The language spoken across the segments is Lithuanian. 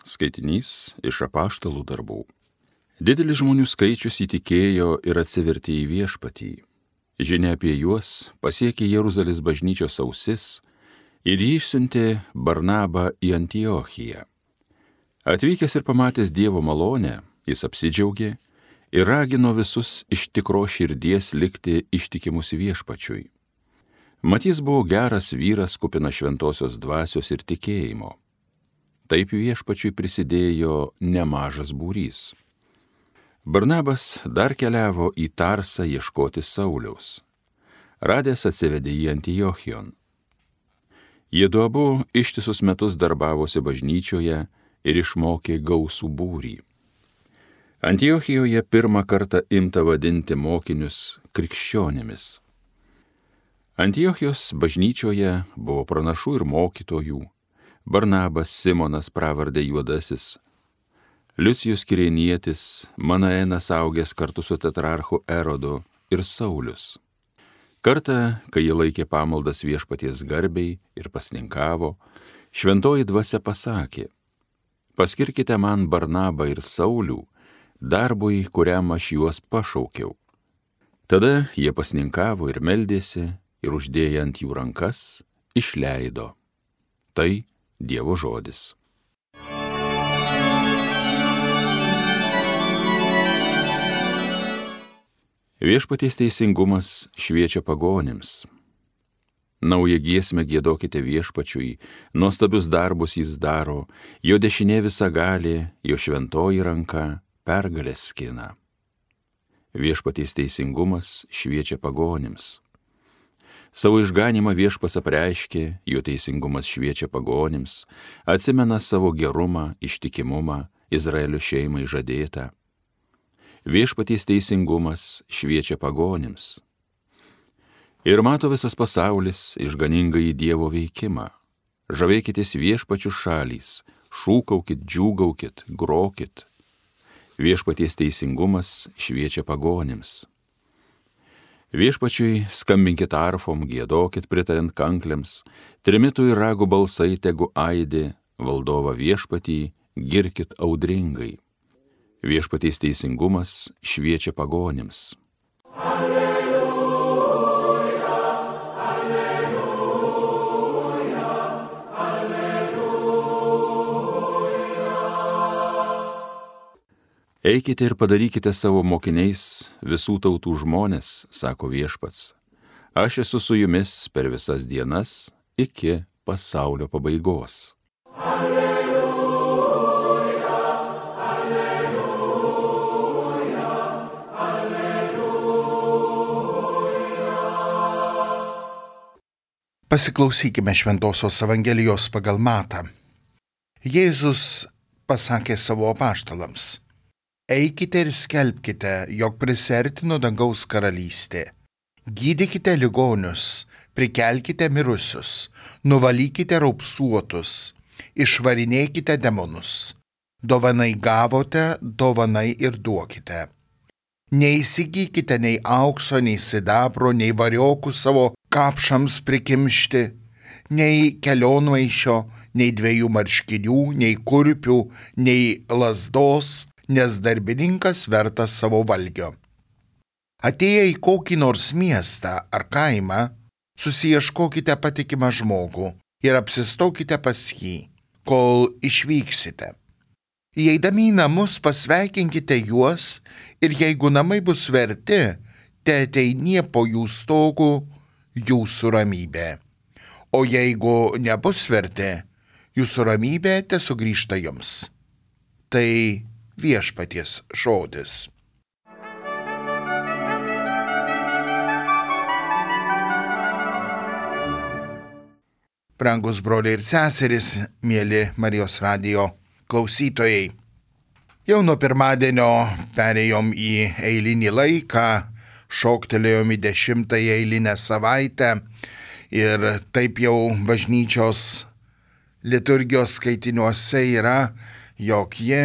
Skaitinys iš Apaštalų darbų. Didelis žmonių skaičius įtikėjo ir atsivertė į Viešpatį. Žinia apie juos pasiekė Jeruzalės bažnyčios ausis ir jį išsiuntė Barnabą į Antiochiją. Atvykęs ir pamatęs Dievo malonę, jis apsidžiaugė ir ragino visus iš tikros širdies likti ištikimus Viešpačiui. Mat jis buvo geras vyras, kupinas šventosios dvasios ir tikėjimo. Taip Viešpačiui prisidėjo nemažas būrys. Barnabas dar keliavo į Tarsą ieškoti Sauliaus. Radęs atsivedė į Antiochijon. Jiedu abu ištisus metus darbavosi bažnyčioje ir išmokė gausų būrį. Antiochijoje pirmą kartą imta vadinti mokinius krikščionimis. Antiochijos bažnyčioje buvo pranašų ir mokytojų. Barnabas, Simonas pravarde Juodasis, Liucijus Kirėnietis, Manaenas augęs kartu su tetrarchu Erodu ir Saulius. Kartą, kai jie laikė pamaldas Viešpaties garbei ir pasninkavo, šventoji dvasia pasakė: paskirkite man Barnabą ir Saulių darbui, kuriam aš juos pašaukiau. Tada jie pasninkavo ir meldėsi ir uždėję ant jų rankas išleido. Tai Dievo žodis. Viešpaties teisingumas šviečia pagonims. Naują giesmę giedokite Viešpačiui, nuostabius darbus jis daro, jo dešinė visagalė, jo šventoji ranka pergalės skina. Viešpaties teisingumas šviečia pagonims. Savo išganymą Viešpats apreiškė, jo teisingumas šviečia pagonims, atsimena savo gerumą, ištikimumą, Izraelio šeimai žadėtą. Viešpaties teisingumas šviečia pagonims. Ir mato visas pasaulis išganingąjį Dievo veikimą. Žavėkitės Viešpačių šalys, šūkaukit, džiūgaukit, grokit. Viešpaties teisingumas šviečia pagonims. Viešpačiui skambinkit arfom, giedokit pritariant kankliams, trimitų ir ragų balsai tegu aidi, valdovą Viešpatį girkit audringai. Viešpaties teisingumas šviečia pagonims. Alleluja, alleluja, alleluja. Eikite ir padarykite savo mokiniais visų tautų žmones, sako Viešpats. Aš esu su jumis per visas dienas iki pasaulio pabaigos. Pasiklausykime Šventosios Evangelijos pagal Matą. Jėzus pasakė savo apaštalams: eikite ir skelbkite, jog prisiartino dangaus karalystė. Gydykite ligonius, prikelkite mirusius, nuvalykite raupsuotus, išvarinėkite demonus. Dovanai gavote, dovanai ir duokite. Neįsigykite nei aukso, nei sidabro, nei variokų savo kapšams prikimšti, nei kelionmaišio, nei 2 marškinių, nei kurpių, nei lazdos, nes darbininkas vertas savo valgio. Atėję į kokį nors miestą ar kaimą, susiieškokite patikimą žmogų ir apsistokite pas jį, kol išvyksite. Įeidami į namus pasveikinkite juos ir jeigu namai bus verti, te ateinie po jų stogų jūsų ramybė. O jeigu nebus verti, jūsų ramybė te sugrįžta jums. Tai Viešpaties žodis. Brangus broliai ir seserys, mieli Marijos radijo klausytojai. Jau nuo pirmadienio perėjom į eilinį laiką, šoktelėjom į 10-ąją eilinę savaitę ir taip jau bažnyčios liturgijos skaitiniuose yra, jog ji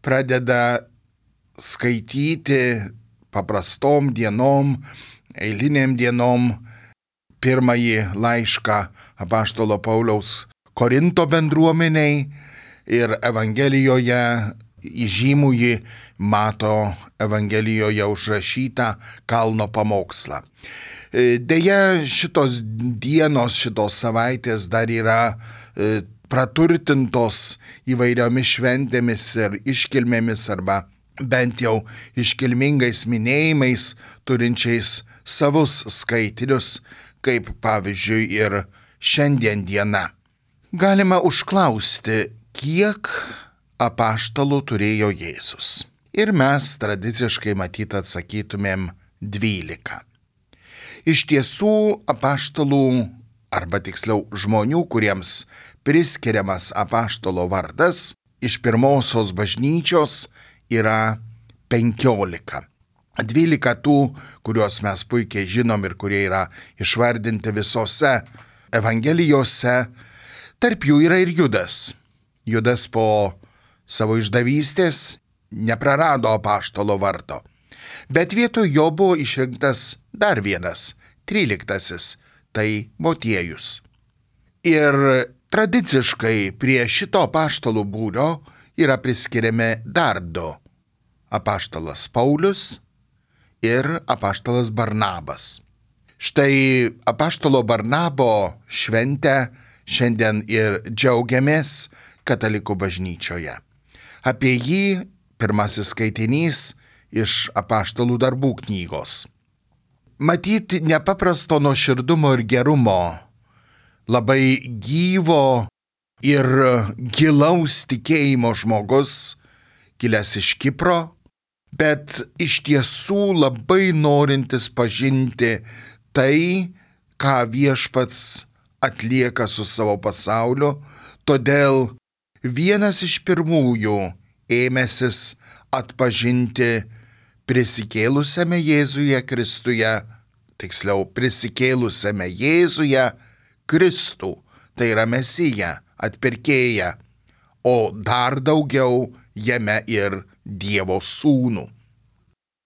pradeda skaityti paprastom dienom, eilinėm dienom pirmąjį laišką apaštalo Pauliaus Korinto bendruomeniai ir Evangelijoje įžymųjį Mato Evangelijoje užrašytą kalno pamokslą. Deja, šitos dienos, šitos savaitės dar yra praturtintos įvairiomis šventėmis ir iškilmėmis arba bent jau iškilmingais minėjimais, turinčiais savus skaitinius, kaip pavyzdžiui ir šiandien diena. Galima užklausti, kiek apaštalų turėjo Jėzus. Ir mes tradiciškai matyt atsakytumėm 12. Iš tiesų apaštalų, arba tiksliau žmonių, kuriems priskiriamas apaštalo vardas, iš pirmosios bažnyčios yra 15. 12 tų, kuriuos mes puikiai žinom ir kurie yra išvardinti visose Evangelijose, tarp jų yra ir Judas. Judas po savo išdavystės neprarado apaštalo vardo, bet vietoj jo buvo išrinktas dar vienas, 13, tai Motiejus. Ir tradiciškai prie šito apaštalų būrio yra priskiriami dar 2 – apaštalas Paulius ir apaštalas Barnabas. Štai apaštalo Barnabo šventę šiandien ir džiaugiamės katalikų bažnyčioje. Apie jį pirmasis skaitinys iš apaštalų darbų knygos. Matyti nepaprasto nuoširdumo ir gerumo, labai gyvo ir gilaus tikėjimo žmogus, kilęs iš Kipro, bet iš tiesų labai norintis pažinti tai, ką viešpats atlieka su savo pasauliu, todėl vienas iš pirmųjų ėmęsis atpažinti prisikėlusiame Jėzuje Kristuje, tiksliau prisikėlusiame Jėzuje Kristų, tai yra Mesiją, atpirkėją, o dar daugiau jame ir Dievo sūnų.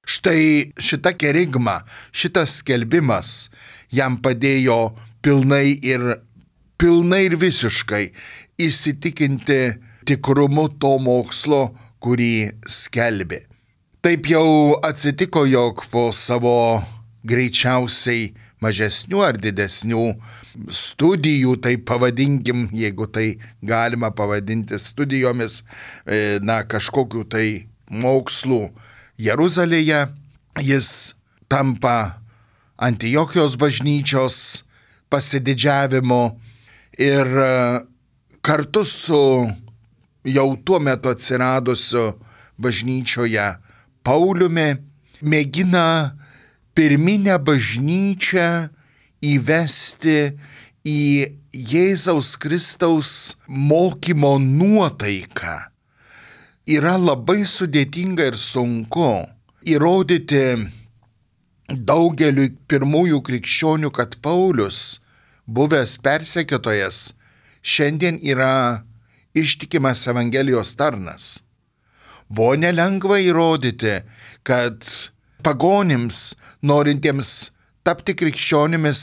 Štai šita kerigma, šitas skelbimas jam padėjo pilnai ir visiškai įsitikinti tikrumu to mokslo, kurį skelbė. Taip jau atsitiko, jog po savo greičiausiai mažesnių ar didesnių studijų, tai pavadinkim, jeigu tai galima pavadinti studijomis, kažkokiu tai mokslų Jeruzalėje, jis tampa Antiochijos bažnyčios pasididžiavimu ir kartu su jau tuo metu atsiradusiu bažnyčioje Pauliumi mėgina pirminę bažnyčią įvesti į Jėzaus Kristaus mokymo nuotaiką. Yra labai sudėtinga ir sunku įrodyti daugeliui pirmųjų krikščionių, kad Paulius, buvęs persekiotojas, šiandien yra ištikimas Evangelijos tarnas. Buvo nelengva įrodyti, kad pagonims, norintiems tapti krikščionimis,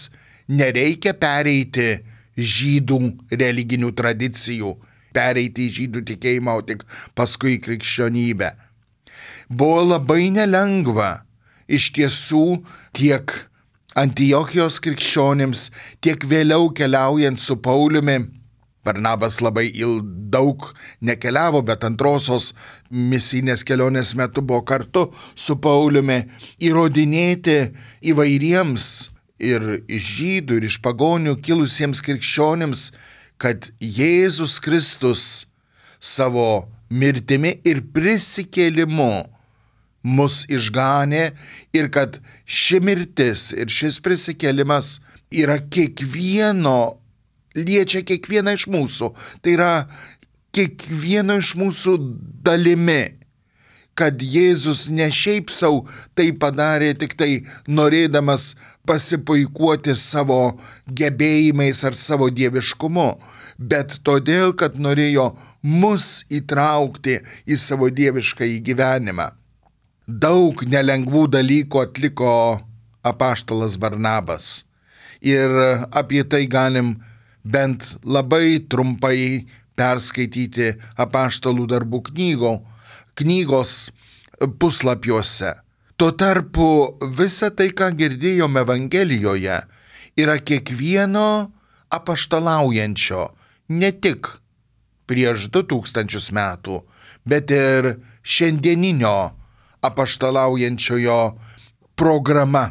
nereikia pereiti žydų religinių tradicijų, pereiti į žydų tikėjimą, o tik paskui į krikščionybę. Buvo labai nelengva iš tiesų tiek Antiochijos krikščionims, tiek vėliau keliaujant su Pauliumi. Barnabas labai daug nekeliavo, bet antrosios misijinės kelionės metu buvo kartu su Pauliumi, įrodinėti įvairiems ir iš žydų, ir iš pagonių kilusiems krikščionims, kad Jėzus Kristus savo mirtimi ir prisikėlimu mus išganė ir kad ši mirtis ir šis prisikėlimas yra liečia kiekvieną iš mūsų. Tai yra kiekvieno iš mūsų dalimi, kad Jėzus ne šiaip sau tai padarė tik tai norėdamas pasipuikuoti savo gebėjimais ar savo dieviškumu, bet todėl, kad norėjo mus įtraukti į savo dieviškąjį gyvenimą. Daug nelengvų dalykų atliko apaštalas Barnabas ir apie tai galim bent labai trumpai perskaityti apaštalų darbų knygos puslapiuose. Tuo tarpu visa tai, ką girdėjome Evangelijoje, yra kiekvieno apaštalaujančio, ne tik prieš 2000 metų, bet ir šiandieninio apaštalaujančiojo programa.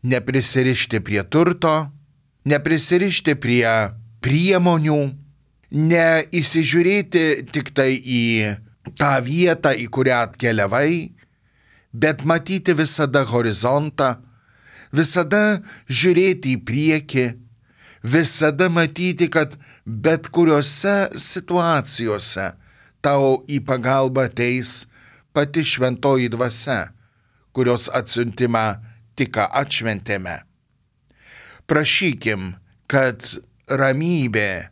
Neprisirišti prie turto, neprisirišti prie priemonių, neįsižiūrėti tik tai į tą vietą, į kurią atkeliavai, bet matyti visada horizontą, visada žiūrėti į priekį, visada matyti, kad bet kuriuose situacijose tau į pagalbą ateis pati šventoji dvasia, kurios atsiuntimą tik ką atšventėme. Prašykim, kad ramybė,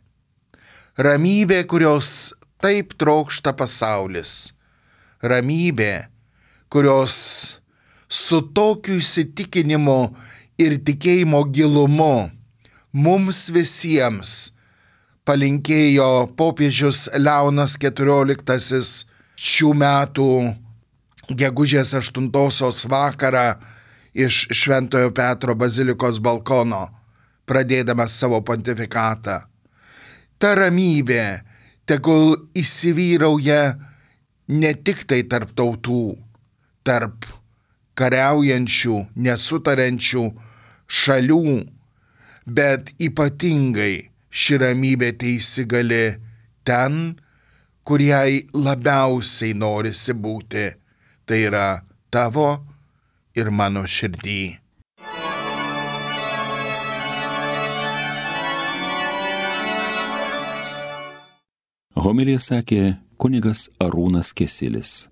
kurios taip trokšta pasaulis, ramybė, kurios su tokiu įsitikinimu ir tikėjimo gilumu mums visiems palinkėjo popiežius Leonas XIV šių metų gegužės 8 vakarą iš Šventojo Petro bazilikos balkono, pradėdamas savo pontifikatą. Ta ramybė tegul įsivyrauja ne tik tai tarp tautų, tarp kariaujančių, nesutariančių šalių, bet ypatingai ši ramybė teįsigali ten, kur jai labiausiai norisi būti, tai yra tavo ir mano širdį. Homiliją sakė kunigas Arūnas Kesilis.